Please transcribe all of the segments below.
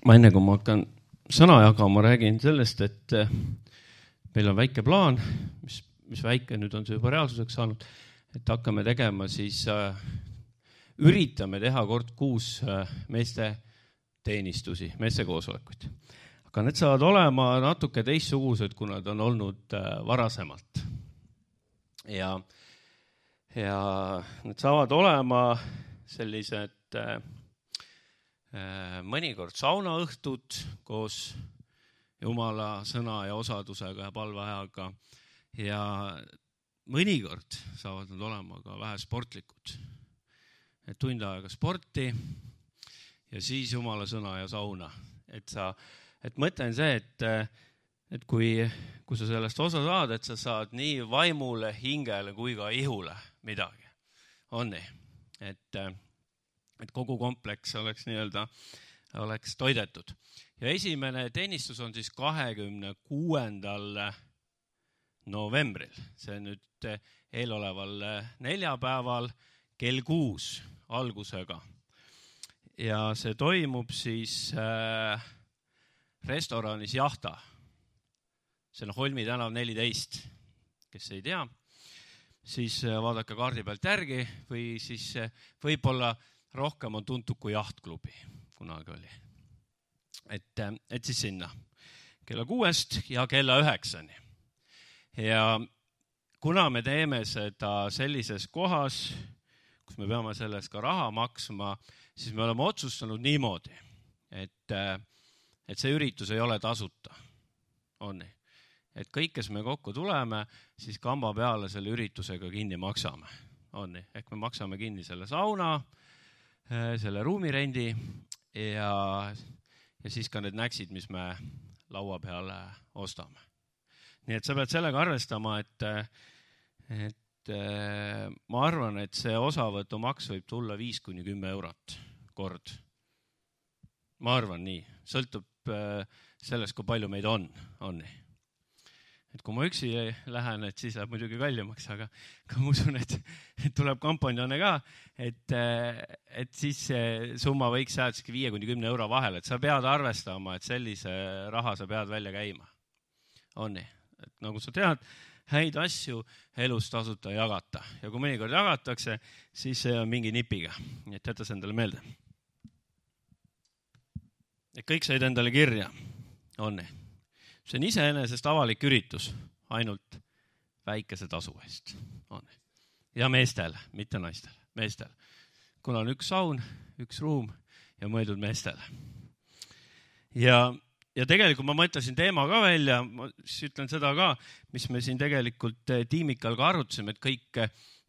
ma enne, kui ma hakkan sõna jagama, räägin sellest, et meil on väike plaan, mis väike nüüd on see juba reaalsuseks saanud, et hakkame tegema siis, üritame teha kord kuus meeste teenistusi, meeste koosolekuid. Aga need saavad olema natuke teistsugused, kui nad on olnud varasemalt. Ja need saavad olema sellised mõnikord saunaõhtud koos Jumala sõna ja osadusega ja palveajaga ja mõnikord saavad nad olema ka vähe sportlikud. Et tund aega sporti ja siis Jumala sõna ja sauna. Et mõtlen see, et kui sa sellest osa saad, et sa saad nii vaimule, hingele kui ka ihule midagi. On nii. Et kogu kompleks oleks oleks toidetud. Ja esimene teenistus on siis 26. novembril. See on nüüd eeloleval neljapäeval kell 6 algusega. Ja see toimub siis restoranis Jahta. See on Holmi tänav 14, kes ei tea. Siis vaadake kaardi pealt järgi või siis võib-olla rohkem on tuntud kui Jahtklubi, kunagi oli. Et siis sinna kella 6 ja kella 9. Ja kuna me teeme seda sellises kohas, kus me peame selles ka raha maksma, siis me oleme otsustanud niimoodi, et see üritus ei ole tasuta. On nii. Et kõik, kes me kokku tuleme, siis kamba peale selle üritusega kinni maksame. On nii. Ehk me maksame kinni selle sauna, selle ruumirendi ja siis ka need näksid, mis me laua peale ostame. Nii et sa pead sellega arvestama, et ma arvan, et see osavõtu maks võib tulla 5-10 eurot kord. Ma arvan nii. Sõltub sellest, kui palju meid on nii. Et kui ma üksi lähen, et siis läheb muidugi kallimaks, aga ma usun, et tuleb kampanjane ka, et siis see summa võiks jääda 5-10 euro vahel, et sa pead arvestama, et sellise raha sa pead välja käima. On nii. Et nagu sa tead, häid asju elus tasuta jagata. Ja kui mõnikord jagatakse, siis see on mingi nipiga. Nii et jäta see endale meelde. Et kõik said endale kirja. On nii. See on iseenesest avalik üritus, ainult väikese tasu eest. On. Ja meestel, mitte naistel, meestel. Kuna on üks saun, üks ruum ja mõeldud meestele. Ja tegelikult ma mõtlesin teema ka välja, ma siis ütlen seda ka, mis me siin tegelikult tiimikal ka arutasime, et kõik,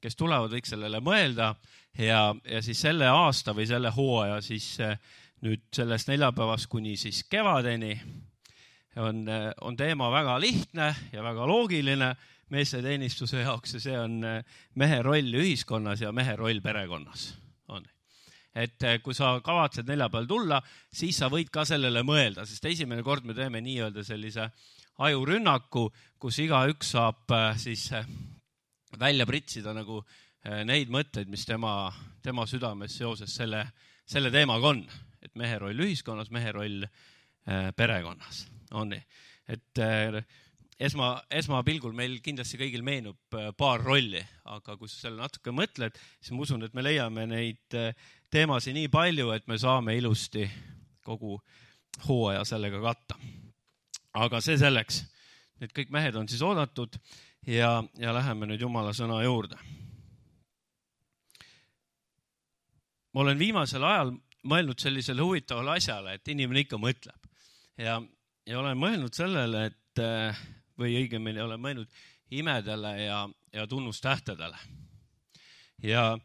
kes tulevad, võiks sellele mõelda ja siis selle aasta või selle hooaja siis nüüd sellest neljapäevast kuni siis kevadeni on teema väga lihtne ja väga loogiline meeste teenistuse jaoks ja see on mehe roll ühiskonnas ja mehe roll perekonnas. On. Et kui sa kavatsed neljapäeval tulla, siis sa võid ka sellele mõelda, sest esimene kord me teeme nii-öelda sellise ajurünnaku, kus igaüks saab siis välja pritsida nagu neid mõtteid, mis tema südames seoses selle teemaga on. Et mehe roll ühiskonnas, mehe roll perekonnas. On nii. Et esmapilgul meil kindlasti kõigil meenub paar rolli, aga kui sa selle natuke mõtled, siis ma usun, et me leiame neid teemasid nii palju, et me saame ilusti kogu hooaja sellega katta. Aga see selleks, et kõik mehed on siis oodatud ja läheme nüüd Jumala sõna juurde. Ma olen viimasel ajal mõelnud sellisele huvitavale asjale, et inimene ikka mõtleb. Ja olen mõelnud sellele, või õigemini olen mõelnud imedele ja tunnustähtedele. Ja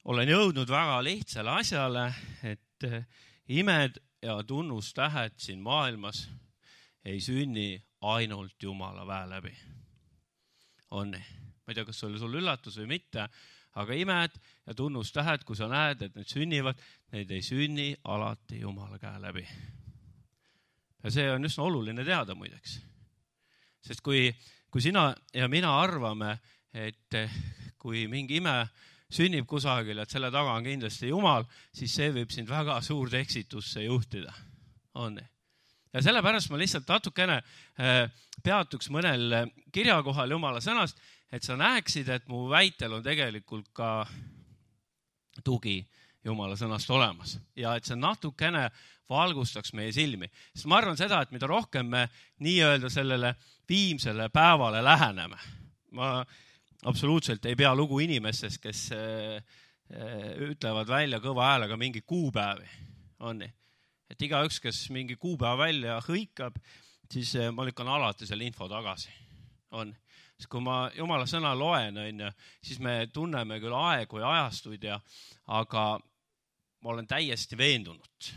olen jõudnud väga lihtsale asjale, et imed ja tunnustähed siin maailmas ei sünni ainult Jumala väe läbi. On nii. Ma ei tea, kas see oli sul üllatus või mitte, aga imed ja tunnustähed, kui sa näed, et need sünnivad, need ei sünni alati Jumala käe läbi. Ja see on üsna oluline teada muideks. Sest kui sina ja mina arvame, et kui mingi ime sünnib kusagil, et selle taga on kindlasti Jumal, siis see võib sind väga suurde eksitusse juhtida. on. Ja sellepärast ma lihtsalt natukene peatuks mõnel kirjakohal Jumala sõnast, et sa näeksid, et mu väitel on tegelikult ka tugi Jumala sõnast olemas ja et see natukene valgustaks meie silmi. Sest ma arvan seda, et mida rohkem me nii-öelda sellele viimsele päevale läheneme. Ma absoluutselt ei pea lugu inimestest, kes ütlevad välja kõva häälega mingi kuupäevi. On nii? Et igaüks, kes mingi kuupäeva välja hõikab, siis ma lükkan alati selle info tagasi. On. Sest kui ma Jumala sõna loen, siis me tunneme küll aegu ja ajastuid, aga ma olen täiesti veendunud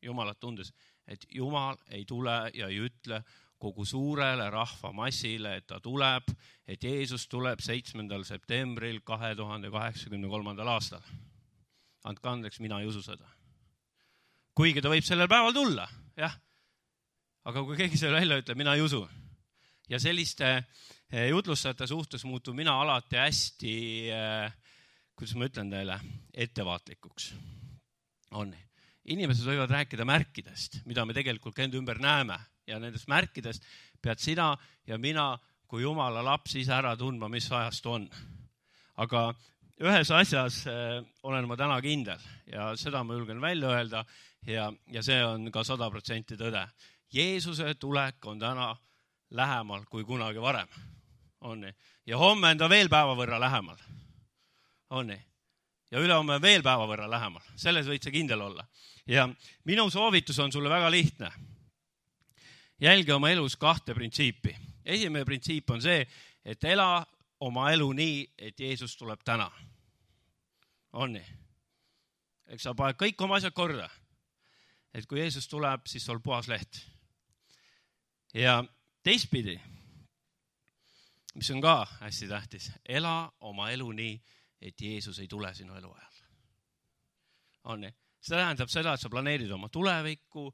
Jumalat tundes, et Jumal ei tule ja ei ütle kogu suurele rahvamassile, et ta tuleb, et Jeesus tuleb 7. septembril 2083. aastal. Andke andeks, mina ei usu seda. Kuigi ta võib sellel päeval tulla, jah. Aga kui keegi selle välja ütleb, mina ei usu. Ja selliste jutlustajate suhtes muutub mina alati hästi, kuidas ma ütlen teile, ettevaatlikuks. On. Inimesed võivad rääkida märkidest, mida me tegelikult enda ümber näeme. Ja nendest märkidest pead sina ja mina kui Jumala laps ise ära tundma, mis ajast on. Aga ühes asjas olen ma täna kindel ja seda ma julgen välja öelda ja see on ka 100% tõde. Jeesuse tulek on täna lähemal kui kunagi varem. On nii? Ja homme on ta veel päeva võrra lähemal. On nii? Ja ülehomme on veel päeva võrra lähemal. Selles võid sa kindel olla. Ja minu soovitus on sulle väga lihtne. Jälgi oma elus 2 printsiipi. Esimene printsiip on see, et ela oma elu nii, et Jeesus tuleb täna. On nii? Eks sa paned kõik oma asjad korda. Et kui Jeesus tuleb, siis sul puhas leht. Ja teistpidi, mis on ka hästi tähtis, ela oma elu nii, et Jeesus ei tule sinu elu ajal. On nii? See tähendab seda, et sa planeerid oma tulevikku,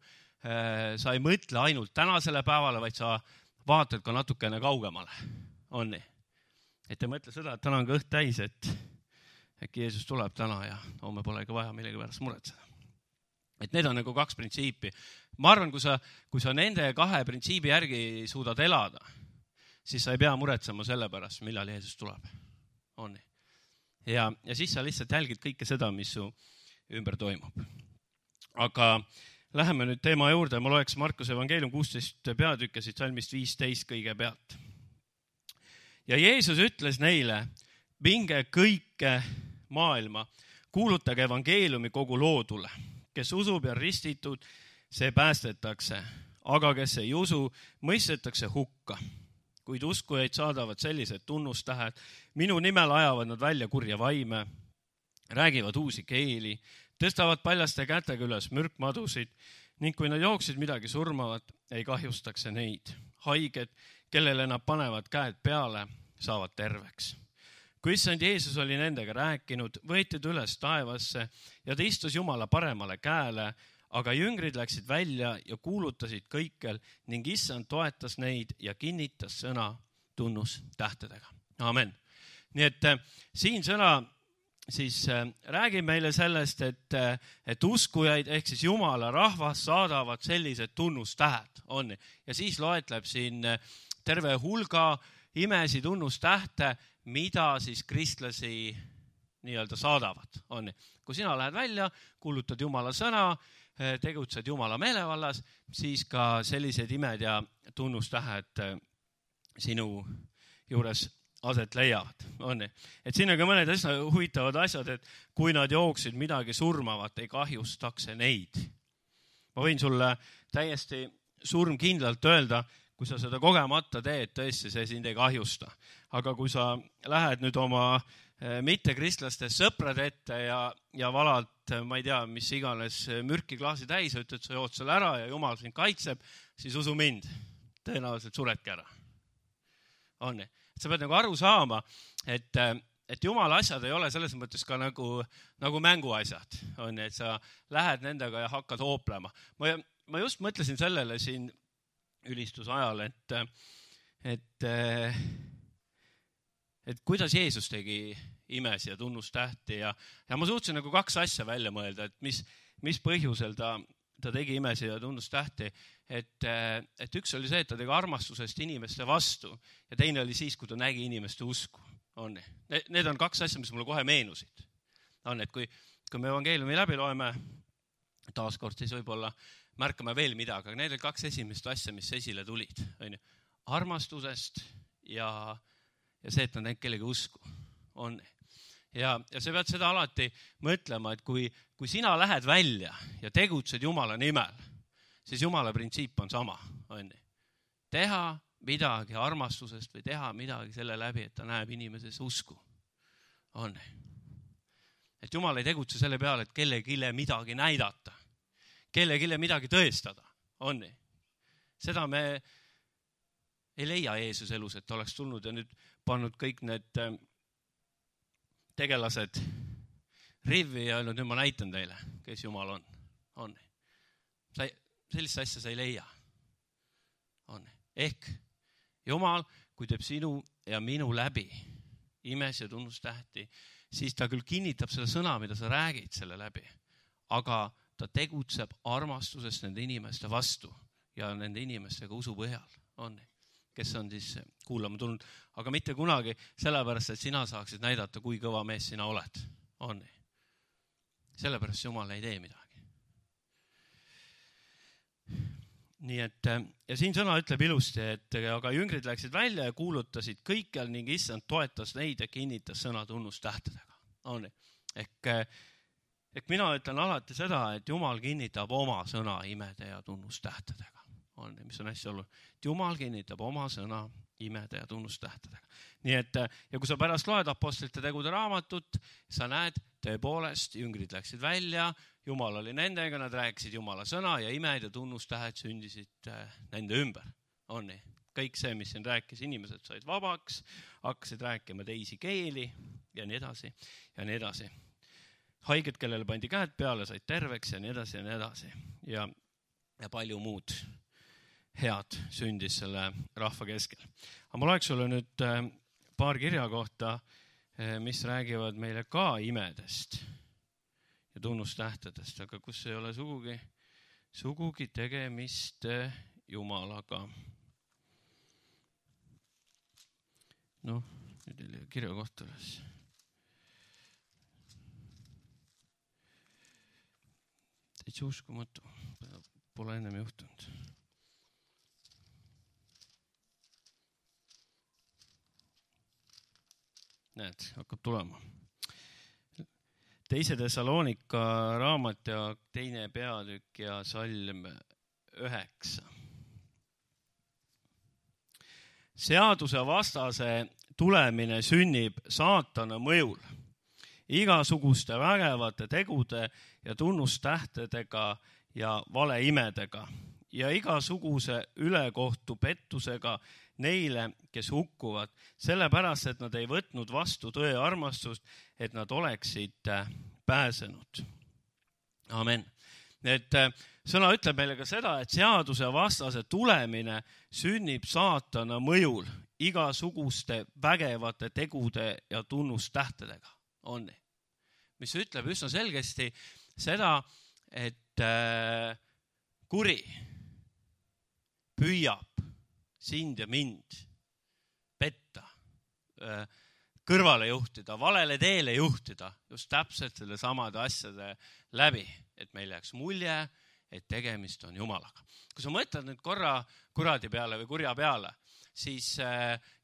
sa ei mõtle ainult tänasele päevale, vaid sa vaatad ka natukene kaugemale. On nii? Et ei mõtle seda, et täna on kõht täis, et äkki Jeesus tuleb täna ja homme polegi vaja millegi pärast muretseda. Et need on nagu 2 printsiipi. Ma arvan, kui sa nende 2 printsiibi järgi suudad elada, siis sa ei pea muretsema selle pärast, millal Jeesus tuleb. On nii? Ja siis sa lihtsalt jälgid kõike seda, mis su ümber toimub. Aga läheme nüüd teema juurde. Ma loeks Markuse evangeelium 16 peatükke siit salmist 15 kõige pealt. Ja Jeesus ütles neile, minge kõike maailma, kuulutage evangeeliumi kogu loodule. Kes usub ja ristitud, see päästetakse, aga kes ei usu, mõistetakse hukka. Kuid uskujaid saadavad sellised tunnustähed, minu nimel ajavad nad välja kurja vaime, räägivad uusi keeli, tõstavad paljaste kätega üles mürkmadusid ning kui nad jooksid midagi surmavat, ei kahjustaks neid. Haiged, kellele nad panevad käed peale, saavad terveks. Kui issand Jeesus oli nendega rääkinud, võetud üles taevasse ja ta istus Jumala paremale käele, aga jüngrid läksid välja ja kuulutasid kõikjal ning issand toetas neid ja kinnitas sõna tunnustähtedega. Amen. Nii et siin sõna siis räägib meile sellest, et uskujaid ehk siis Jumala rahvas saadavad sellised tunnustähed. On. Ja siis loetleb siin terve hulga imesi tunnustähte, mida siis kristlasi nii-öelda saadavad. On. Kui sina lähed välja, kuulutad Jumala sõna, tegutsed Jumala meelevallas, siis ka sellised imed ja tunnustähed sinu juures aset leiavad. On. Et siin on ka mõned huvitavad asjad, et kui nad jooksid midagi surmavat, ei kahjustaks neid. Ma võin sulle täiesti surmkindlalt öelda, kui sa seda kogemata teed, tõesti see sind ei kahjusta. Aga kui sa lähed nüüd oma mittekristlaste sõprad ette ja valad, ma ei tea, mis iganes mürki klaasi täis, ütled, sa jood selle ära ja Jumal sind kaitseb, siis usu mind, tõenäoliselt suredki ära. On. Sa pead nagu aru saama, et Jumala asjad ei ole selles mõttes ka nagu mänguasjad. On. Et sa lähed nendega ja hakkad hooplema. Ma just mõtlesin sellele siin ülistusajal, et kuidas Jeesus tegi imesi ja tunnustähti ja ma suutsin nagu 2 asja välja mõelda, et mis põhjusel ta ta tegi imesid ja tunnustähti, et üks oli see, et ta tegi armastusest inimeste vastu ja teine oli siis, kui ta nägi inimeste usku. Need on kaks asja, mis mulle kohe meenusid. Et kui me evangeeliumi läbi loeme, taaskord siis võib-olla märkame veel midagi, aga need on kaks esimest asja, mis esile tulid. Armastusest ja see, et nad näinud kellegi usku. Ja sa pead seda alati mõtlema, et kui sina lähed välja ja tegutsed Jumala nimel, siis Jumala printsiip on sama. Teha midagi armastusest või teha midagi selle läbi, et ta näeb inimeses usku. Et Jumal ei tegutse selle peale, et kellegile midagi näidata, kellegile midagi tõestada. Seda me ei leia Jeesus elus, et ta oleks tulnud ja nüüd pannud kõik need tegelased rivvi ja öelnud, nüüd ma näitan teile, kes Jumal on. Sellist asja sa ei leia. Ehk Jumal, kui teeb sinu ja minu läbi imes ja tunnustähti, siis ta küll kinnitab selle sõna, mida sa räägid selle läbi, aga ta tegutseb armastusest nende inimeste vastu ja nende inimestega usu põhjal, kes on siis kuulama tulnud, aga mitte kunagi sellepärast, et sina saaksid näidata, kui kõva mees sina oled. Sellepärast Jumal ei tee midagi. Nii et, ja siin sõna ütleb ilusti, et aga jüngrid läksid välja ja kuulutasid kõikjal ning issand toetas neid ja kinnitas sõna tunnustähtedega. Ehk mina ütlen alati seda, et Jumal kinnitab oma sõna imede ja tunnustähtedega. Mis on hästi oluline. Jumal kinnitab oma sõna imede ja tunnustähtedega. Nii et, ja kui sa pärast loed apostlite tegude raamatut, sa näed, tõepoolest, jüngrid läksid välja, Jumal oli nendega, nad rääkisid Jumala sõna ja imed ja tunnustähed sündisid nende ümber. Kõik see, mis siin rääkis, inimesed said vabaks, hakkasid rääkima teisi keeli ja nii edasi ja nii edasi. Haiged, kellele pandi käed peale, said terveks ja nii edasi ja nii edasi. Ja palju muud head sündis selle rahva keskel. Aga ma loeks sulle nüüd paar kirja kohta, mis räägivad meile ka imedest ja tunnustähtedest, aga kus ei ole sugugi tegemist Jumalaga. Nüüd oli kirja kohta üles. Täitsa uskumatu, pole ennem juhtunud. Näed, hakkab tulema. 2. Thessalonika raamat ja 2. peatükk ja salm 9. Seaduse vastase tulemine sünnib saatana mõjul, igasuguste vägevate tegude ja tunnustähtedega ja valeimedega ja igasuguse ülekohtu pettusega neile, kes hukkuvad, sellepärast, et nad ei võtnud vastu tõe armastust, et nad oleksid pääsenud. Amen. Et sõna ütleb meile ka seda, et seaduse vastase tulemine sünnib saatana mõjul igasuguste vägevate tegude ja tunnustähtedega. Mis ütleb üsna selgesti seda, et kuri püüab sind ja mind petta, kõrvale juhtida, valele teele juhtida, just täpselt selle samade asjade läbi, et meil jääks mulje, et tegemist on Jumalaga. Kui sa mõtled nüüd korra kuradi peale või kurja peale, siis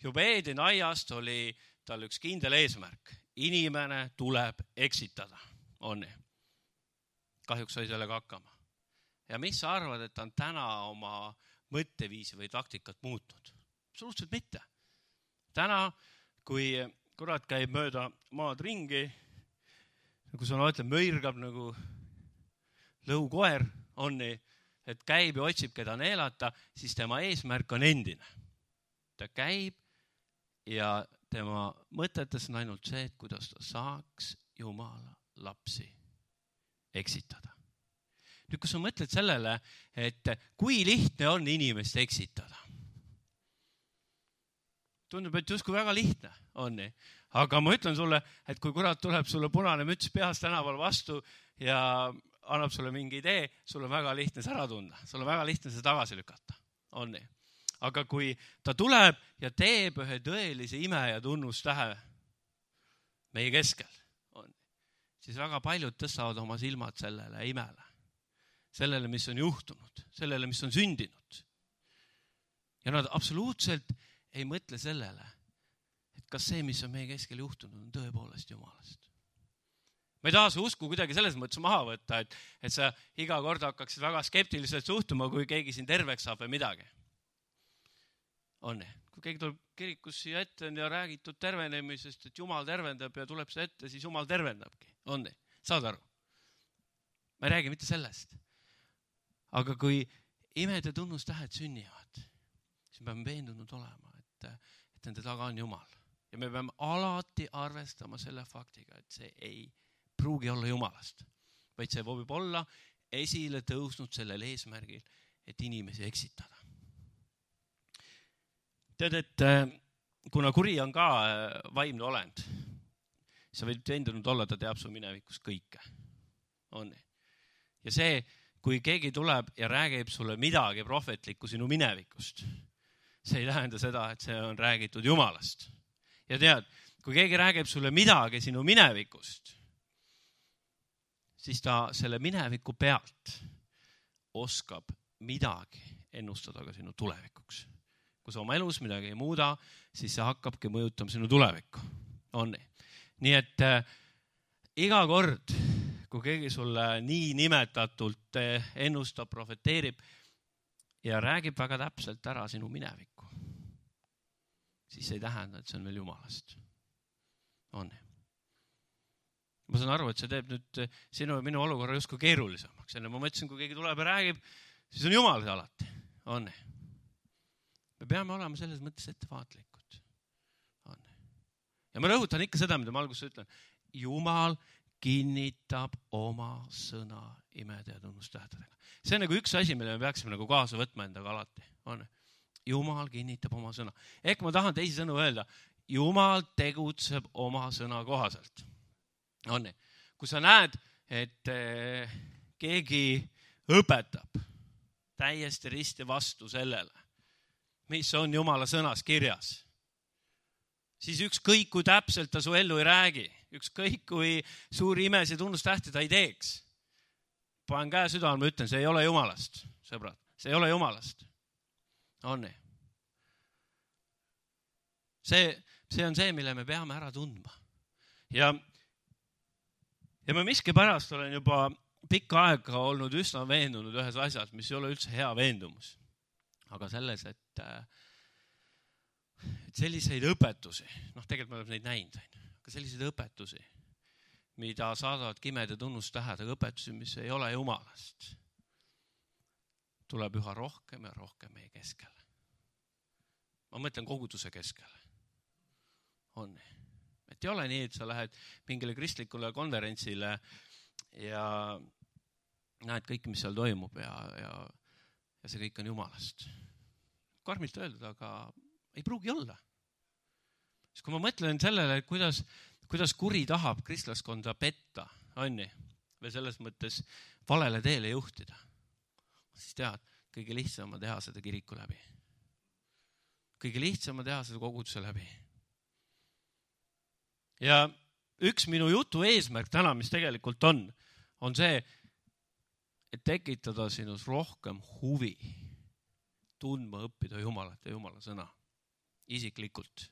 juba Eedeni aiast oli tal üks kindel eesmärk. Inimene tuleb eksitada. Kahjuks sai sellega hakkama. Ja mis sa arvad, et ta on täna oma mõtteviisi või taktikat muutnud? Absoluutselt mitte. Täna, kui kurat käib mööda maad ringi, nagu sa ütled, mõirgab nagu lõukoer, et käib ja otsib, keda neelata, siis tema eesmärk on endine. Ta käib ja tema mõtetes on ainult see, et kuidas ta saaks Jumala lapsi eksitada. Nüüd, kui sa mõtled sellele, et kui lihtne on inimest eksitada. Tundub, et justkui väga lihtne on. Aga ma ütlen sulle, et kui kurat tuleb sulle punane müts peas tänaval vastu ja annab sulle mingi idee, sul on väga lihtne see ära tunda, sul on väga lihtne see tagasi lükata. On nii. Aga kui ta tuleb ja teeb ühe tõelise ime ja tunnustähe meie keskel, siis väga paljud tõstavad oma silmad sellele imele. Sellele, mis on juhtunud, sellele, mis on sündinud. Ja nad absoluutselt ei mõtle sellele, et kas see, mis on meie keskel juhtunud, on tõepoolest Jumalast. Ma ei taha su usku kuidagi selles mõttes maha võtta, et sa iga kord hakkaksid väga skeptiliselt suhtuma, kui keegi siin terveks saab või midagi. On nii. Kui keegi tuleb kirikus siia ette ja räägitud tervenemisest, et Jumal tervendab ja tuleb see ette, siis Jumal tervendabki. On nii. Saad aru? Ma ei räägi mitte sellest. Aga kui imed ja tunnustähed sünnivad, siis me peame veendunud olema, et nende taga on Jumal. Ja me peame alati arvestama selle faktiga, et see ei pruugi olla Jumalast, vaid see võib olla esile tõusnud sellel eesmärgil, et inimesi eksitada. Tead, et kuna kuri on ka vaimne olend, sa võid veendunud olla, ta teab su minevikust kõike. On nii. Ja see, kui keegi tuleb ja räägib sulle midagi prohvetlikku sinu minevikust, see ei tähenda seda, et see on räägitud Jumalast. Ja tead, kui keegi räägib sulle midagi sinu minevikust, siis ta selle mineviku pealt oskab midagi ennustada ka sinu tulevikuks. Kui sa oma elus midagi ei muuda, siis see hakkabki mõjutama sinu tulevikku. On nii. Nii et iga kord, kui keegi sulle nii nimetatult ennustab, profeteerib ja räägib väga täpselt ära sinu minevikku, siis ei tähenda, et see on veel Jumalast. On nii. Ma saan aru, et see teeb nüüd sinu ja minu olukorra justkui keerulisemaks. Ja ma mõtlesin, kui keegi tuleb ja räägib, siis on Jumal see alati. On nii. Me peame olema selles mõttes ettevaatlikud. On nii. Ja ma rõhutan ikka seda, mida ma alguses ütlen. Jumal kinnitab oma sõna imede ja tunnustähtedega. See on nagu üks asi, mille me peaksime nagu kaasa võtma endaga alati. On nii. Jumal kinnitab oma sõna. Ehk ma tahan teisi sõnu öelda. Jumal tegutseb oma sõna kohaselt. On nii. Kui sa näed, et keegi õpetab täiesti risti vastu sellele, mis on Jumala sõnas kirjas, siis ükskõik kui täpselt ta su ellu ei räägi, ükskõik kui suuri imesid tunnustähti ta ei teeks. Panen käe südamele, ma ütlen, see ei ole Jumalast, sõbrad. See ei ole Jumalast. On nii. See on see, mille me peame ära tundma. Ja ma miski pärast olen juba pikka aega olnud üsna veendunud ühes asjas, mis ei ole üldse hea veendumus. Aga selles, et selliseid õpetusi, tegelikult me oleme neid näinud, aga selliseid õpetusi, mida saadavad imed ja tunnustähed, aga õpetusi, mis ei ole Jumalast, tuleb üha rohkem ja rohkem meie keskele. Ma mõtlen koguduse keskele. On nii. Et ei ole nii, et sa lähed mingile kristlikule konverentsile ja näed kõik, mis seal toimub ja see kõik on Jumalast. Karmilt öeldud, aga ei pruugi olla. Siis kui ma mõtlen sellele, kuidas kuri tahab kristlaskonda petta, on nii, või selles mõttes valele teele juhtida, siis tead, kõige lihtsam on teha seda kiriku läbi. Kõige lihtsam on teha seda koguduse läbi. Ja üks minu jutu eesmärk täna, mis tegelikult on see, et tekitada sinus rohkem huvi tundma õppida Jumalat ja Jumala sõna isiklikult.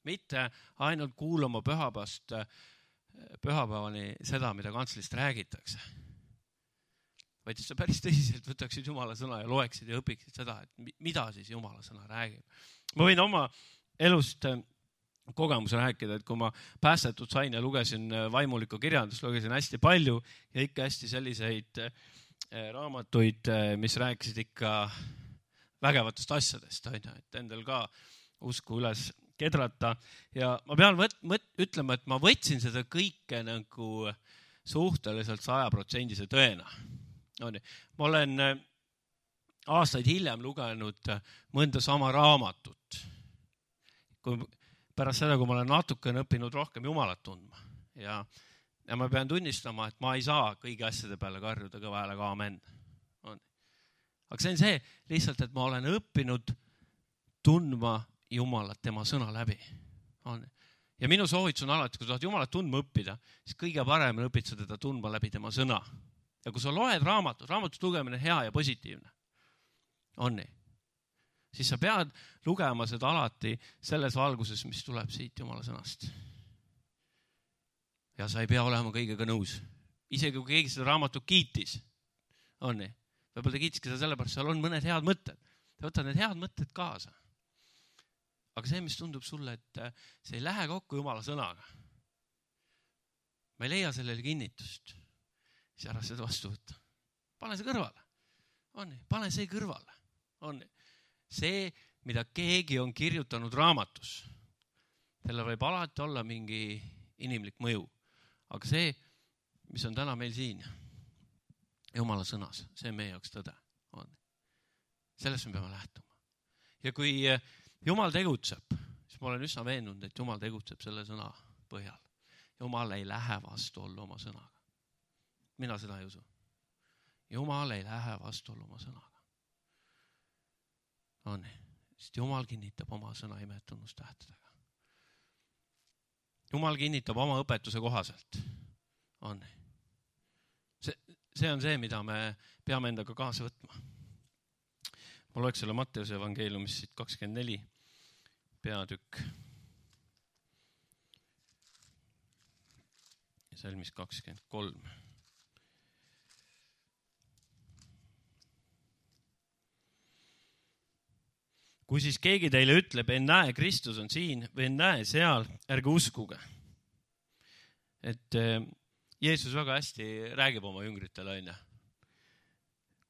Mitte ainult kuulama pühapäevani seda, mida kantslist räägitakse, vaid sa päris tõsiselt võtaksid Jumala sõna ja loeksid ja õpiksid seda, et mida siis Jumala sõna räägib. Ma võin oma elust kogemuse rääkida, et kui ma päästetud sain ja lugesin vaimulikku kirjandust, lugesin hästi palju ja ikka hästi selliseid raamatuid, mis rääkisid ikka vägevatest asjadest, et endal ka usku üles kedrata. Ja ma pean ütlema, et ma võtsin seda kõike nagu suhteliselt 100% tõena. Ma olen aastaid hiljem lugenud mõnda sama raamatut. Pärast seda, kui ma olen natukene õppinud rohkem Jumalat tundma. Ja Ja ma pean tunnistama, et ma ei saa kõigi asjade peale karjuda kõva häälega aamen. Aga see on see lihtsalt, et ma olen õppinud tundma Jumalat tema sõna läbi. Ja minu soovitus on alati, kui sa tahad Jumalat tundma õppida, siis kõige parem õpid sa teda tundma läbi tema sõna. Ja kui sa loed raamatut lugemine hea ja positiivne, on nii, siis sa pead lugema seda alati selles valguses, mis tuleb siit Jumala sõnast. Ja sa ei pea olema kõigega nõus. Isegi kui keegi seda raamatut kiitis, on nii, võib-olla ta kiitiski seda sellepärast, seal on mõned head mõtted. Ta võtad need head mõtted kaasa. Aga see, mis tundub sulle, et see ei lähe kokku Jumala sõnaga. Ma ei leia sellele kinnitust. Siis ära seda vastu võtta. Pane see kõrvale. On nii, pane see kõrvale. On nii. See, mida keegi on kirjutanud raamatus, selle võib alati olla mingi inimlik mõju. Aga see, mis on täna meil siin, Jumala sõnas, see on meie jaoks tõde. On. Sellest me peame lähtuma. Ja kui Jumal tegutseb, siis ma olen üsna veendunud, et Jumal tegutseb selle sõna põhjal. Jumal ei lähe vastuollu oma sõnaga. Mina seda ei usu. Jumal ei lähe vastuollu oma sõnaga. On, sest Jumal kinnitab oma sõna imetunnustähtedega. Jumal kinnitab oma õpetuse kohaselt. On. See on see, mida me peame endaga kaasa võtma. Ma loeks selle Matteuse evangeeliumist 24 peatükk. Ja salmis 23. Kui siis keegi teile ütleb, en näe, Kristus on siin või en näe seal, ärge uskuge. Et Jeesus väga hästi räägib oma jüngritele, on.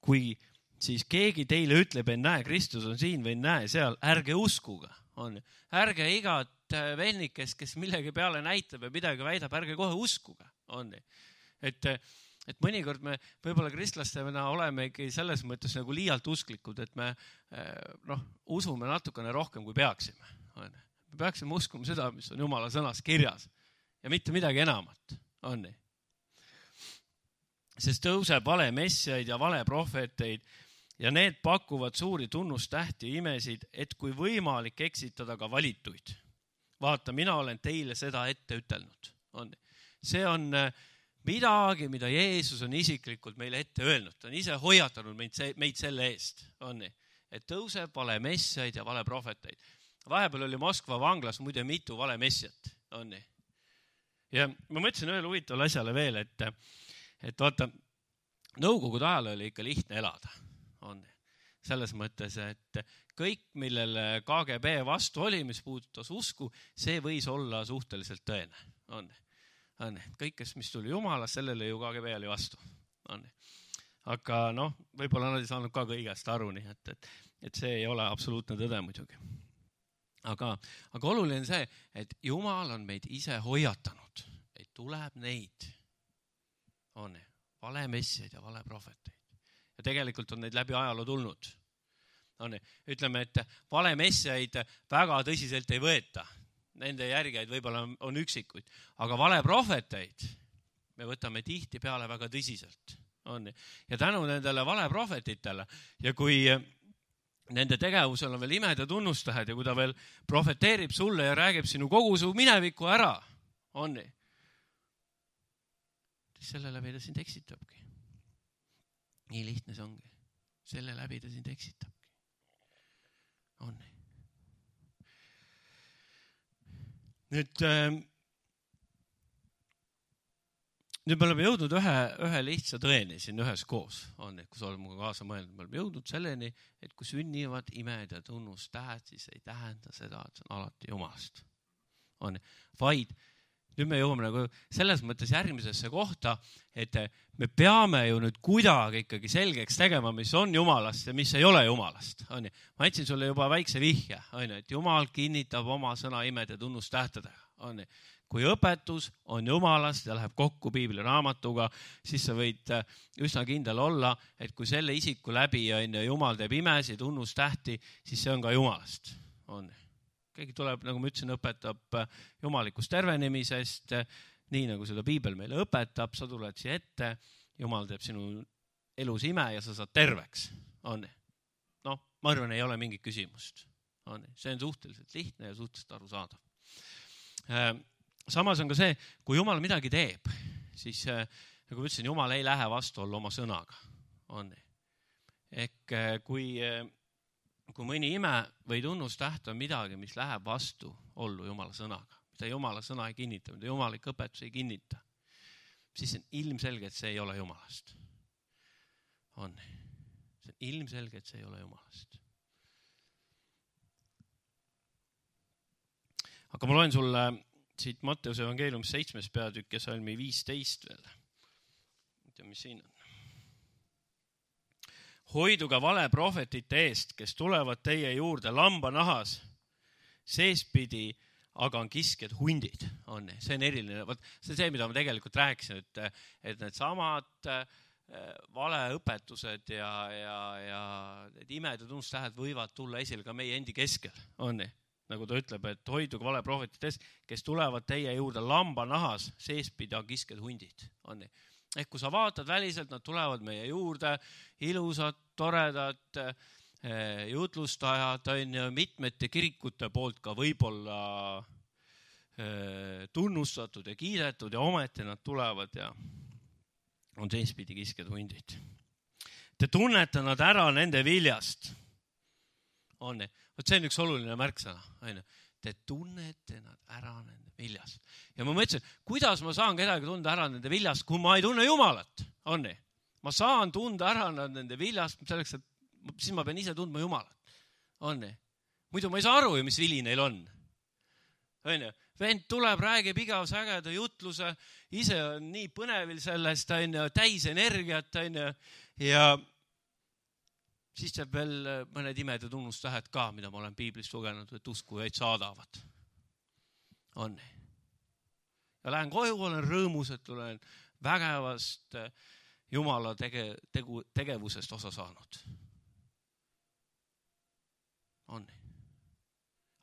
Kui siis keegi teile ütleb, en näe, Kristus on siin või en näe seal, ärge uskuge. On. Ärge igat vennikest, kes millegi peale näitab ja midagi väidab, ärge kohe uskuge. On. Et mõnikord me võib-olla kristlastena olemegi selles mõttes nagu liialt usklikud, et me usume natukene rohkem, kui peaksime. Me peaksime uskuma seda, mis on Jumala sõnas kirjas ja mitte midagi enamat. On nii. Sest tõuseb vale messiaid ja vale prohveteid ja need pakuvad suuri tunnustähti ja imesid, et kui võimalik eksitada ka valituid. Vaata, mina olen teile seda ette ütelnud. On nii. See on midagi, mida Jeesus on isiklikult meile ette öelnud. Ta on ise hoiatanud meid selle eest. On nii. Et tõuseb vale messiaid ja vale prohveteid. Vahepeal oli Moskva vanglas muide mitu vale messiat. On nii. Ja ma mõtlesin ühele huvitavale asjale veel, et vaata, nõukogude ajal oli ikka lihtne elada. On nii. Selles mõttes, et kõik, millele KGB vastu oli, mis puudutas usku, see võis olla suhteliselt tõene. On nii. Kõik, mis tuli Jumalas, sellele ju KGB oli vastu. Aga võib-olla nad ei saanud ka kõigest aru, nii et see ei ole absoluutne tõde muidugi. Aga oluline on see, et Jumal on meid ise hoiatanud, et tuleb neid vale messiaid ja vale prohveteid. Ja tegelikult on neid läbi ajaloo tulnud. Ütleme, et vale messiaid väga tõsiselt ei võeta. Nende järgijaid võib-olla on üksikuid, aga vale prohveteid me võtame tihti peale väga tõsiselt. Ja tänu nendele vale prohvetitele ja kui nende tegevusel on veel imed ja tunnustähed ja kui ta veel prohveteerib sulle ja räägib sinu kogu su mineviku ära, on nii, siis selle läbi ta sind eksitabki. Nii lihtne see ongi. Selle läbi ta sind eksitabki. On nii. Nüüd me oleme jõudnud ühe lihtsa tõeni siin ühes koos. On, kui sa oled muga kaasa mõelnud, me oleme jõudnud selleni, et kui sünnivad imed ja tunnustähed, siis ei tähenda seda, et see on alati Jumalast. On, vaid nüüd me jõuame nagu selles mõttes järgmisesse kohta, et me peame ju nüüd kuidagi ikkagi selgeks tegema, mis on Jumalast ja mis ei ole Jumalast. On, ma andsin sulle juba väikse vihje, et Jumal kinnitab oma sõna imed ja tunnustähtedega. On, kui õpetus on Jumalast ja läheb kokku piibli raamatuga, siis sa võid üsna kindel olla, et kui selle isiku läbi Jumal teeb imesi, tunnustähti, siis see on ka Jumalast. On. Keegi tuleb, nagu ma ütlesin, õpetab jumalikust tervenemisest, nii nagu seda piibel meile õpetab, sa tuled siia ette, Jumal teeb sinu elus ime ja sa saad terveks. Ma arvan, ei ole mingit küsimust. See on suhteliselt lihtne ja suhteliselt arusaadav. Samas on ka see, kui Jumal midagi teeb, siis nagu ütlesin, Jumal ei lähe vastuollu oma sõnaga. Ehk kui mõni ime või tunnustäht on midagi, mis läheb vastu ollu Jumala sõnaga, mida Jumala sõna ei kinnita, mida Jumalik õpetus ei kinnita, siis on ilmselge, et see ei ole Jumalast. See on ilmselge, et see ei ole Jumalast. Aga ma loen sulle siit Matteuse evangeeliumis 7. peatükk ja salmi 15 veel. Mis siin on? Hoiduga vale prohvetite eest, kes tulevad teie juurde lambanahas, seespidi aga on kiskjad hundid. See on eriline. See on see, mida ma tegelikult rääkisin, et need samad valeõpetused ja need imed ja tunnustähed võivad tulla esile ka meie endi keskel. Nagu ta ütleb, et hoiduga vale prohvetite eest, kes tulevad teie juurde lambanahas, seespidi on kiskjad hundid. Ehk kui sa vaatad väliselt, nad tulevad meie juurde, ilusad, toredad, jutlustajad, mitmete kirikute poolt ka võib-olla tunnustatud ja kiidetud ja ometi nad tulevad ja on seespidi kiskjad hundid. Te tunnete nad ära nende viljast. See on üks oluline märksõna. Te tunnete nad ära nende viljast. Ja ma mõtlesin, kuidas ma saan kedagi tunda ära nende viljast, kui ma ei tunne Jumalat. Ma saan tunda ära nende viljast, selleks, et siis ma pean ise tundma Jumalat. Muidu ma ei saa aru, mis vili neil on. Vend tuleb, räägib igavsägeda jutluse, ise on nii põnevil sellest, täis energiat, ja siis teeb veel mõned imed ja tunnustähed ka, mida ma olen piiblist lugenud, et uskujaid saadavad. Ja lähen koju, olen rõõmus, et olen vägevast Jumala tegevusest osa saanud.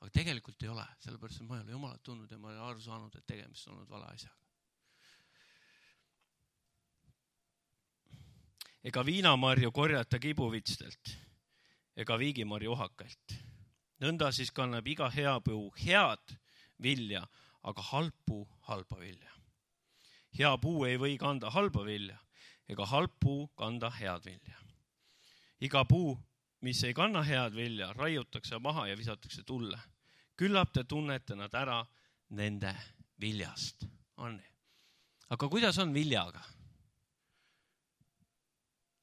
Aga tegelikult ei ole, sellepärast, et ma ei ole Jumalat tundnud ja ma ei ole aru saanud, et tegemist on olnud vale asjaga. Ega viinamarju korjata kibuvitstelt, ega viigimarju uhakalt. Nõnda siis kannab iga hea puu head vilja, aga halb puu halba vilja. Hea puu ei või kanda halba vilja, ega halb puu kanda head vilja. Iga puu, mis ei kanna head vilja, raiutakse maha ja visatakse tulle. Küllap te tunnete nad ära nende viljast. Aga kuidas on viljaga?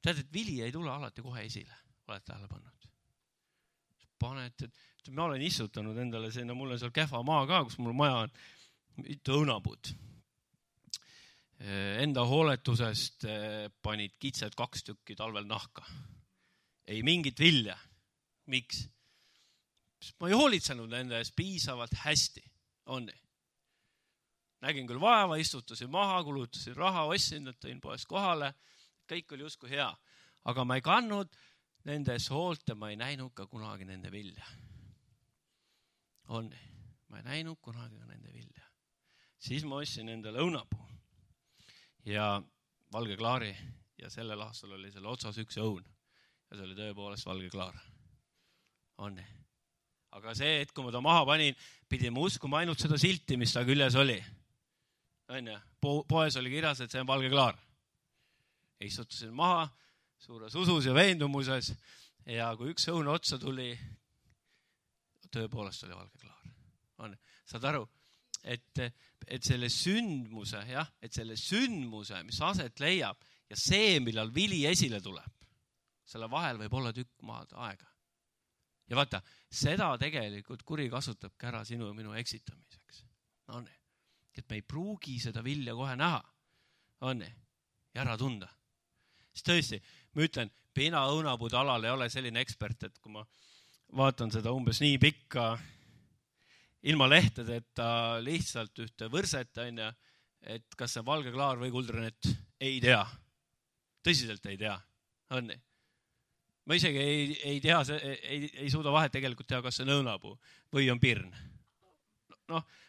Tead, et vili ei tule alati kohe esile, oled tähele pannud. Ma olen istutanud endale sinna, mul on seal kehva maa ka, kus mul maja on mitu õunapuud. Enda hooletusest panid kitsed 2 tükki talvel nahka. Ei mingit vilja. Miks? Ma ei hoolitsenud nende eest piisavalt hästi. Nägin küll vaeva, istutasin maha, kulutasin raha, ostsin, et tõin poest kohale. Kõik oli justkui hea, aga ma ei kannud nendes hoolt ja ma ei näinud ka kunagi nende vilja. Ma ei näinud kunagi ka nende vilja. Siis ma ostsin endale õunapuu ja valge klaari ja sellel aastal oli selle otsas üks õun ja see oli tõepoolest valge klaar. Aga see, et kui ma ta maha panin, pidin ma uskuma ainult seda silti, mis ta küljes oli. Poes oli kirjas, et see on valge klaar. Istutasin maha suures usus ja veendumuses ja kui üks õun otsa tuli, tõepoolest oli valge klaar. Saad aru, et selle sündmuse, mis aset leiab ja see, millal vili esile tuleb, selle vahel võib olla tükk maad aega. Ja vaata, seda tegelikult kuri kasutabki ära sinu ja minu eksitamiseks. Et me ei pruugi seda vilja kohe näha. Ja ära tunda. Siis tõesti, ma ütlen, pina õunapuude alal ei ole selline ekspert, et kui ma vaatan seda umbes nii pikka ilma lehtedeta lihtsalt ühte võrset, et kas see valge klaar või kuldrenet ei tea. Tõsiselt ei tea. Ma isegi ei tea, ei suuda vahet tegelikult teha, kas see on õunapuu või on pirn.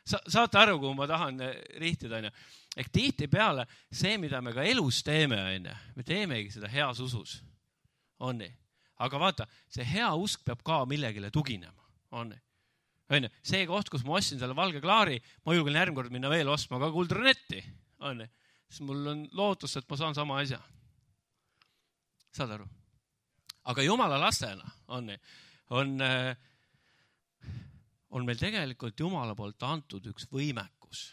Saate aru, kui ma tahan rihtida, Ehk tihtipeale see, mida me ka elus teeme, me teemegi seda heas usus. On nii? Aga vaata, see hea usk peab ka millegile tuginema. On nii? See koht, kus ma ostsin selle valge klaari, ma julgen järgmine kord minna veel ostma ka kuldranetti. On nii? Siis mul on lootus, et ma saan sama asja. Saad aru? Aga Jumala lastena on meil tegelikult Jumala poolt antud üks võimekus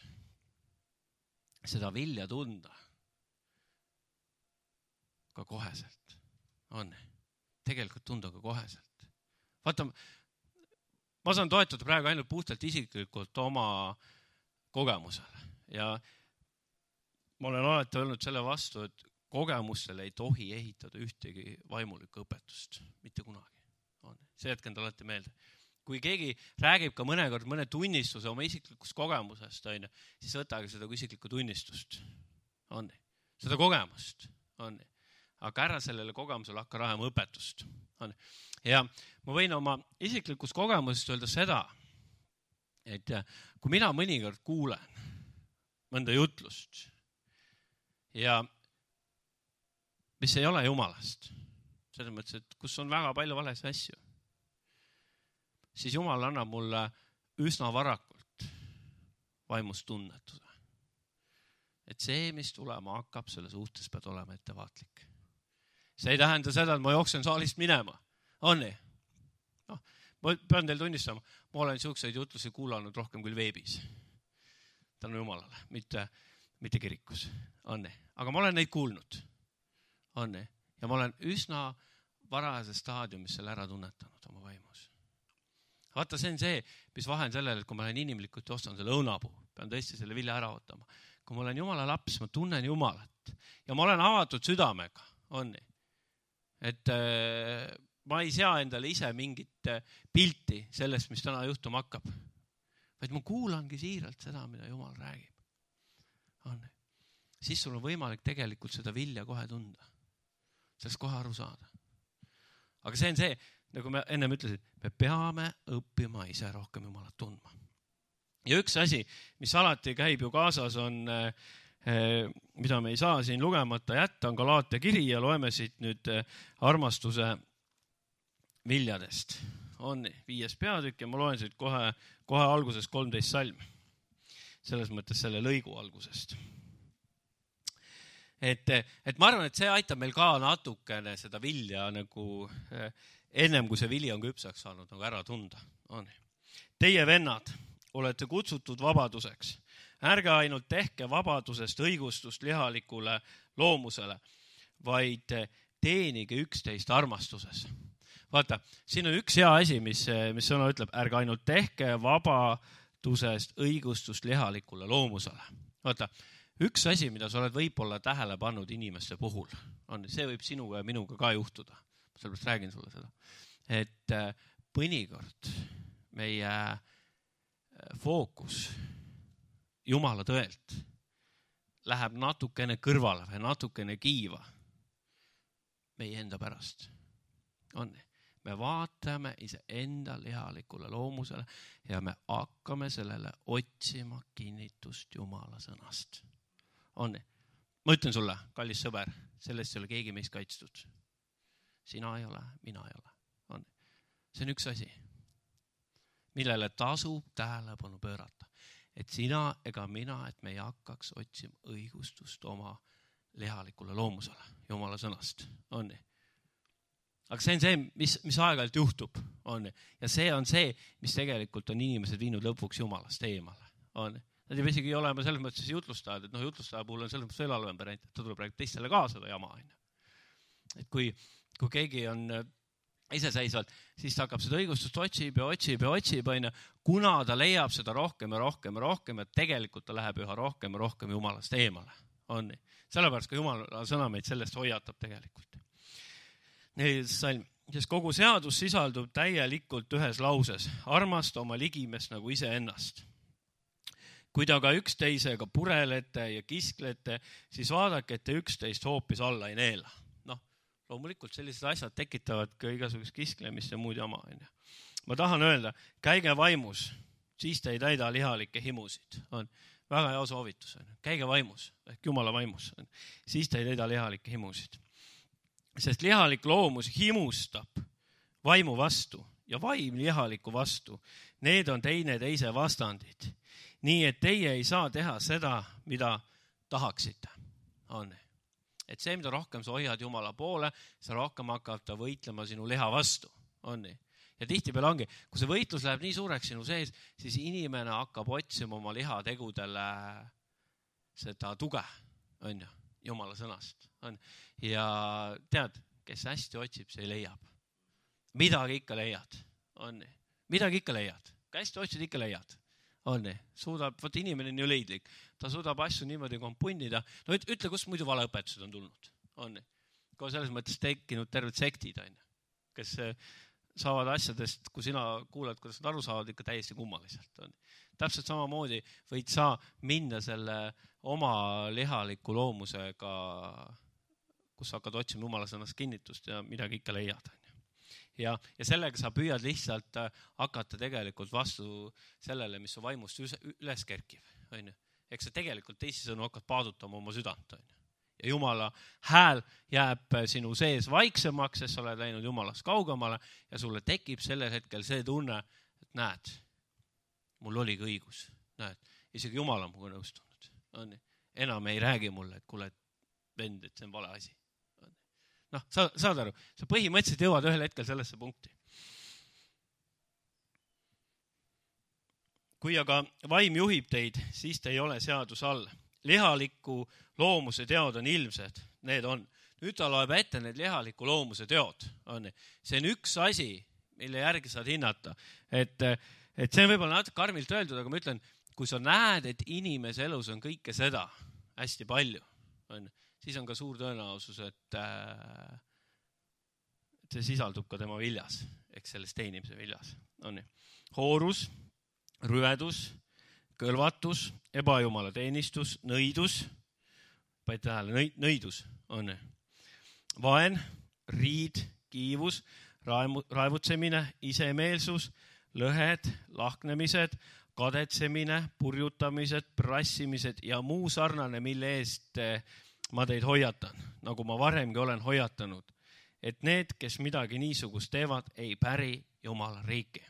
seda vilja tunda ka koheselt. On. Tegelikult tunda ka koheselt. Vaata, ma saan toetada praegu ainult puhtalt isiklikult oma kogemusele. Ja ma olen alati öelnud selle vastu, et kogemustele ei tohi ehitada ühtegi vaimulikku õpetust. Mitte kunagi. On. See jätken ta alati meelde. Kui keegi räägib ka mõnekord mõne tunnistuse oma isiklikust kogemusest, siis võtage seda kui isiklikku tunnistust. On. Seda kogemust. On. Aga ära sellele kogemusele hakka rajama õpetust. On. Ja ma võin oma isiklikust kogemusest öelda seda, et kui mina mõnikord kuulen mõnda jutlust ja mis ei ole Jumalast, selles mõttes, et kus on väga palju vales asju, siis Jumal annab mulle üsna varakult vaimust tunnetada. Et see, mis tulema hakkab, selle suhtes pead olema ettevaatlik. See ei tähenda seda, et ma jooksen saalist minema. On nii? No, ma pean teil tunnistama, ma olen siukseid jutlusi kuulanud rohkem küll veebis. Tänu Jumalale, mitte kirikus. On nii? Aga ma olen neid kuulnud. On nii? Ja ma olen üsna varajases staadiumis selle ära tunnetanud oma vaimus. Vaata, see on see, mis vahe on sellele, et kui ma olen inimlikult ja ostan selle õunapuu, pean tõesti selle vilja ära ootama. Kui ma olen Jumala laps, ma tunnen Jumalat ja ma olen avatud südamega. On nii? Et ma ei sea endale ise mingit pilti sellest, mis täna juhtuma hakkab. Vaid ma kuulangi siiralt seda, mida Jumal räägib. On nii? Siis sul on võimalik tegelikult seda vilja kohe tunda. Sellest kohe aru saada. Aga see on see, nagu me ennem ütlesid, me peame õppima ise rohkem Jumalat tundma. Ja üks asi, mis alati käib ju kaasas, on, mida me ei saa siin lugemata jätta, on Galaatia kiri ja loeme siit nüüd armastuse viljadest. On 5. peatükk ja ma loen siit kohe alguses 13 salm. Selles mõttes selle lõigu algusest. Et ma arvan, et see aitab meil ka natukene seda vilja nagu ennem kui see vili on küpsaks saanud nagu ära tunda. On. Teie vennad, olete kutsutud vabaduseks. Ärge ainult tehke vabadusest õigustust lihalikule loomusele, vaid teenige üksteist armastuses. Vaata, siin on üks hea asi, mis sõna ütleb, ärge ainult tehke vabadusest õigustust lihalikule loomusele. Vaata, üks asi, mida sa oled võib-olla tähele pannud inimeste puhul, on, see võib sinuga ja minuga ka juhtuda. Ma sellepärast räägin sulle seda. Et mõnikord meie fookus Jumala tõelt läheb natukene kõrvale või natukene kiiva meie enda pärast. On. Me vaatame iseenda lihalikule loomusele ja me hakkame sellele otsima kinnitust Jumala sõnast. On. Ma ütlen sulle, kallis sõber, sellest ei ole keegi meist kaitstud. Sina ei ole, mina ei ole. On. See on üks asi, millele tasub tähelepanu pöörata. Et sina ega mina, et me ei hakkaks otsima õigustust oma lihalikule loomusele, Jumala sõnast. On. Aga see on see, mis aeg-ajalt juhtub. On. Ja see on see, mis tegelikult on inimesed viinud lõpuks Jumalast eemale. On. Nad ei isegi ole selles mõttes jutlustajad, et jutlustaja puhul on selles mõttes veel halvem variant, et ta tuleb räägib teistele ka seda jama. Et kui keegi on iseseisvalt, siis ta hakkab seda õigustust otsib, kuna ta leiab seda rohkem ja rohkem ja rohkem, et tegelikult ta läheb üha rohkem ja rohkem Jumalast eemale. On. Sellepärast ka Jumala sõna meid sellest hoiatab tegelikult. 4. salm. Sest kogu seadus sisaldub täielikult ühes lauses. Armasta oma ligimest nagu iseennast. Kui te aga üksteisega purelete ja kisklete, siis vaadake, et te üksteist hoopis alla ei neela. Loomulikult sellised asjad tekitavad ka igasugust kisklemist ja muud jama. Ma tahan öelda, käige vaimus, siis te ei täida lihalikke himusid. väga hea soovitus. Käige vaimus, ehk Jumala vaimus. Siis te ei täida lihalikke himusid. Sest lihalik loomus himustab vaimu vastu ja vaim lihaliku vastu. Need on teise vastandid. Nii et teie ei saa teha seda, mida tahaksite. On. Et see, mida rohkem sa hoiad Jumala poole, sa rohkem hakkab ta võitlema sinu liha vastu. On. Ja tihtipeale ongi, kui see võitlus läheb nii suureks sinu sees, siis inimene hakkab otsima oma lihategudele seda tuge, on ju, Jumala sõnast. On. Ja tead, kes hästi otsib, see leiab. Midagi ikka leiad. On. Midagi ikka leiad. Kui hästi otsid, ikka leiad. On. Suudab, võt inimene on ju leidlik. Ta suudab asju niimoodi kompunnida. No ütle, kus muidu valeõpetused on tulnud. On. Kui selles mõttes tekkinud terved sektid, on. Kes saavad asjadest, kui sina kuuled, kuidas nad aru saavad, ikka täiesti kummaliselt. On. Täpselt samamoodi võid sa minna selle oma lihaliku loomusega, kus hakkad otsima Jumala sõnast kinnitust ja midagi ikka leiad. Ja sellega sa püüad lihtsalt hakata tegelikult vastu sellele, mis su vaimust üles kerkib. Eks sa tegelikult teisisõnu hakkad paadutama oma südant. Ja Jumala hääl jääb sinu sees vaiksemaks, sest sa oled läinud Jumalast kaugemale ja sulle tekib sellel hetkel see tunne, et näed, mul oligi õigus. Näed, isegi Jumal on muga nõustunud. Enam ei räägi mulle, et kuule, vend, et see on vale asi. Noh, saad aru, sa põhimõtteliselt jõuad ühel hetkel sellesse punkti. Kui aga vaim juhib teid, siis te ei ole seadus all. Lihaliku loomuse teod on ilmsed, need on. Nüüd ta loeb ette need lihaliku loomuse teod. See on üks asi, mille järgi saad hinnata. Et see on võib-olla natuke karmilt öeldud, aga ma ütlen, kui sa näed, et inimese elus on kõike seda hästi palju, siis on ka suur tõenäosus, et see sisaldub ka tema viljas, eks selles teenimise viljas. Hoorus, rüvedus, kõlvatus, ebajumala teenistus, nõidus, panid tähele, nõidus on. Vaen, riid, kiivus, raevutsemine, isemeelsus, lõhed, lahknemised, kadetsemine, purjutamised, prassimised ja muu sarnane, mille eest ma teid hoiatan, nagu ma varemgi olen hoiatanud, et need, kes midagi niisugust teevad, ei päri Jumala riiki.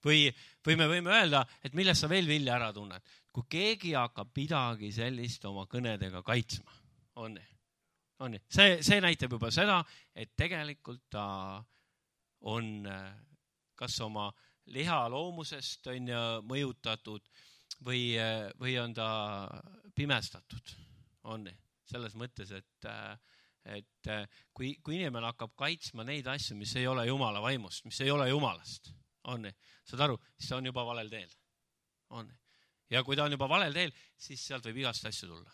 Või me võime öelda, et millest sa veel vilja ära tunned, kui keegi hakkab midagi sellist oma kõnedega kaitsma. See näitab juba seda, et tegelikult ta on kas oma liha loomusest on mõjutatud või on ta pimestatud. Selles mõttes, et kui inimene hakkab kaitsma neid asju, mis ei ole Jumala vaimust, mis ei ole Jumalast, saad aru, siis ta on juba valel teel. Ja kui ta on juba valel teel, siis sealt võib igast asju tulla.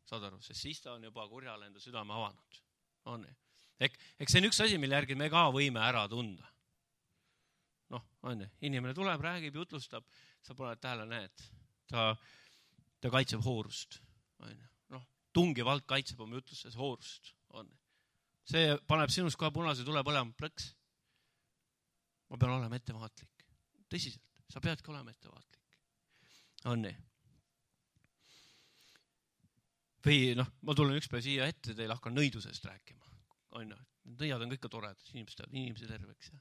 Saad aru, sest siis ta on juba kurjale enda südame avanud. Eks see on üks asi, mille järgi me ka võime ära tunda. Inimene tuleb, räägib, jutlustab, sa paned tähele, näed, ta kaitseb hoorust. Tungivalt kaitseb oma jutlustes hoorust. See paneb sinust kohe punase tule põlema plõks. Ma pean olema ettevaatlik. Tõsiselt, sa peadki olema ettevaatlik. Või ma tulen üks päev siia ette, teil hakkan nõidusest rääkima. Nõiad on kõik toredad, inimese terveks.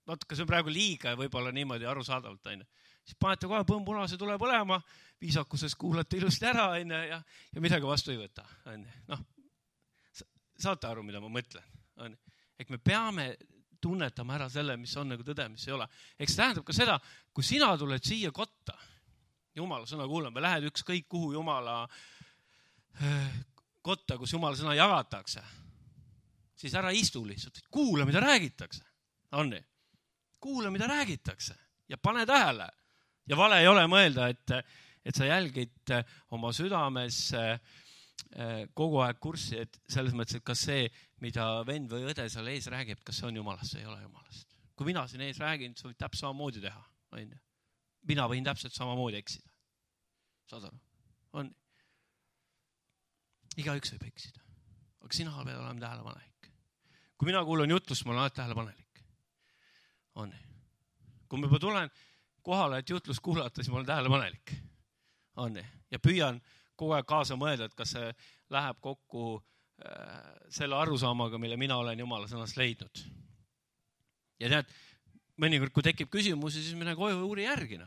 Natuke see on praegu liiga ja võib-olla niimoodi arusaadavalt. Siis panete kohe punase tule põlema, viisakuses kuulate ilusti ära ja midagi vastu ei võta. Saate aru, mida ma mõtlen. Ehk me peame tunnetama ära selle, mis on nagu tõde, mis ei ole. Eks tähendab ka seda, kui sina tuled siia kotta, Jumala sõna kuulama, või lähed ükskõik kuhu Jumala kotta, kus Jumala sõna jagatakse, siis ära istu lihtsalt, kuula, mida räägitakse. Kuula, mida räägitakse ja pane tähele. Ja vale ei ole mõelda, et sa jälgid oma südames kogu aeg kurssi, et selles mõttes, et kas see, mida vend või õde seal ees räägib, kas see on Jumalast, see ei ole Jumalast. Kui mina siin ees räägin, sa võid täpselt samamoodi teha. Mina võin täpselt samamoodi eksida. Saad aru? Igaüks võib eksida. Aga sina pead olema tähelepanelik. Kui mina kuulan jutlust, ma olen alati tähelepanelik. Kui ma juba tulen kohale, et jutlust kuulata, siis ma olen tähelepanelik. On nii. Ja püüan kogu aeg kaasa mõelda, et kas see läheb kokku selle arusaamaga, mille mina olen Jumala sõnast leidnud. Ja tead, mõnikord, kui tekib küsimusi, siis mine koju uuri järgi.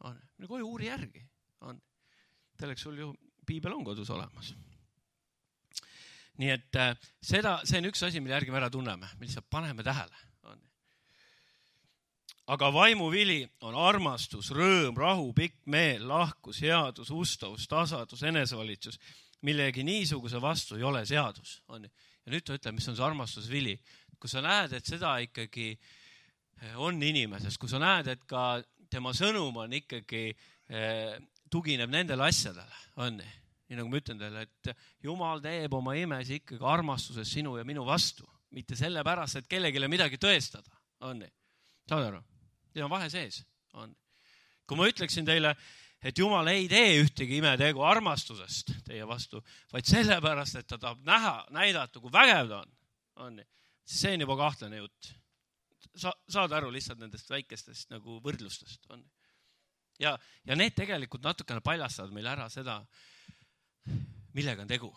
Mine koju uuri järgi. Selleks sul ju piibel on kodus olemas. Nii et see on üks asi, mille järgi me ära tunneme, me lihtsalt paneme tähele. Aga vaimuvili on armastus, rõõm, rahu, pikk meel, lahkus, headus, ustavus, tasadus, enesevalitsus. Millegi niisuguse vastu ei ole seadus. Ja nüüd ta ütleb, mis on see armastusvili. Kui sa näed, et seda ikkagi on inimeses, kui sa näed, et ka tema sõnum on ikkagi tugineb nendele asjadele, on nii. Nii nagu ma ütlen teile, et Jumal teeb oma imesi ikkagi armastuses sinu ja minu vastu. Mitte sellepärast, et kellegile midagi tõestada. On nii. Saad aru? Teil on vahe sees. On. Kui ma ütleksin teile, et Jumal ei tee ühtegi imetegu armastusest teie vastu, vaid sellepärast, et ta tahab näidata, kui vägev ta on nii. Siis see on juba kahtlane jutt. Saad aru lihtsalt nendest väikestest nagu võrdlustest. On nii. Ja need tegelikult natukene paljastavad meile ära seda, millega on tegu.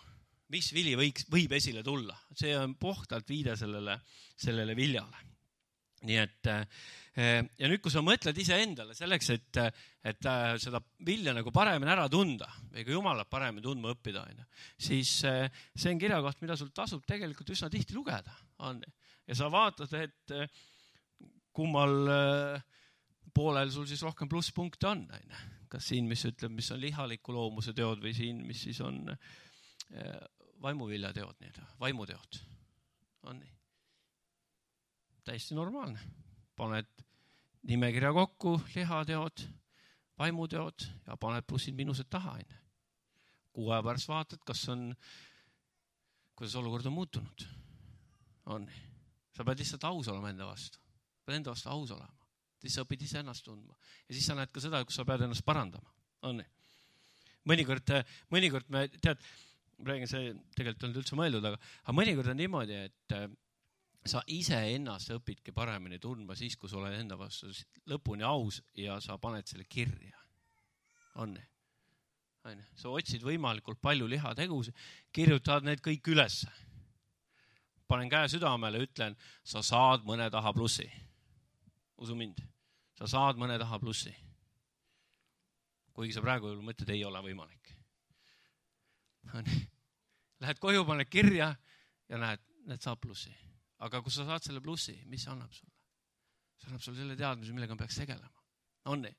Mis vili võib esile tulla. See on puhtalt viide sellele viljale. Nii et, ja nüüd, kui sa mõtled ise endale selleks, et seda vilja nagu paremini ära tunda, või ka Jumalat paremini tundma õppida, siis see on kirjakoht, mida sul tasub tegelikult üsna tihti lugeda. Ja sa vaatad, et kummal poolel sul siis rohkem plusspunkte on. Kas siin, mis ütleb, mis on lihaliku loomuse teod või siin, mis siis on vaimuvilja teod, vaimuteod. On nii. Täiesti normaalne. Paned nimekirja kokku, lihateod, vaimuteod ja paned plussid miinused taha. 6 aja pärast vaatad, kuidas olukord on muutunud. On nii. Sa pead lihtsalt aus olema enda vastu. Pead enda vastu aus olema. Siis sa õpid ise ennast tundma. Ja siis sa näed ka seda, kus sa pead ennast parandama. On nii. Mõnikord me tead, räägin, see tegelikult on üldse mõeldud, aga mõnikord on niimoodi, et sa ise ennast õpidki paremini tundma siis, kui sa oled enda vastu lõpuni aus ja sa paned selle kirja. On nii. Sa otsid võimalikult palju lihategusi, kirjutad need kõik ülesse. Panen käe südamele, ütlen, sa saad mõne taha plussi. Usu mind. Sa saad mõne taha plussi. Kuigi sa praegu mõtled, ei ole võimalik. Lähed koju, paned kirja ja näed saab plussi. Aga kui sa saad selle plussi, mis see annab sulle? See annab sulle selle teadmise, millega ma peaks tegelema. On nii.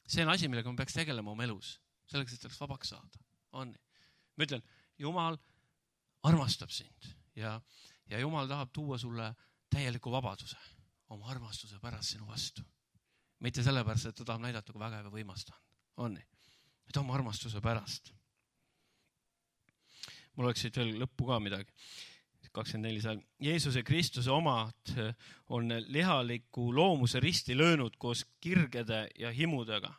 See on asi, millega ma peaks tegelema oma elus. Selleks, et sellest vabaks saada. On nii. Ma ütlen, Jumal armastab sind ja Jumal tahab tuua sulle täieliku vabaduse oma armastuse pärast sinu vastu. Mitte sellepärast, et ta tahab näidata, kui vägev ja võimas ta on. nii. Et oma armastuse pärast. Mul oleks siit veel lõppu ka midagi. 24 seal. Jeesuse Kristuse omad on lihaliku loomuse risti löönud koos kirgede ja himudega.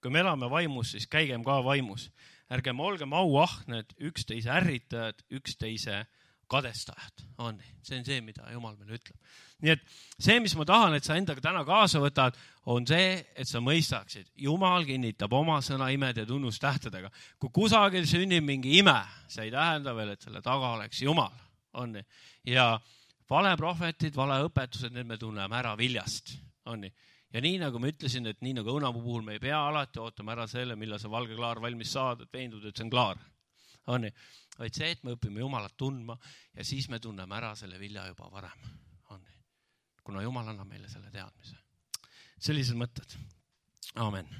Kui me elame vaimus, siis käigem ka vaimus. Ärgem olgem auahned, üksteise ärritajad, üksteise kadestajad. On nii. See on see, mida Jumal meile ütleb. Nii et see, mis ma tahan, et sa endaga täna kaasa võtad, on see, et sa mõistaksid. Jumal kinnitab oma sõna imed ja tunnustähtedega. Kui kusagil sünnib mingi ime, see ei tähenda veel, et selle taga oleks Jumal. On nii. Ja vale prohvetid, vale õpetused, need me tunneme ära viljast. On nii. Ja nii nagu ma ütlesin, et nii nagu õunapuu puhul me ei pea alati ootama ära selle, millal see valge klaar valmis saad, et veendud, et see on klaar. On nii. Vaid see, et me õpime Jumalat tundma ja siis me tunneme ära selle vilja juba varem. On nii. Kuna Jumal annab meile selle teadmise. Sellised mõtted. Amen.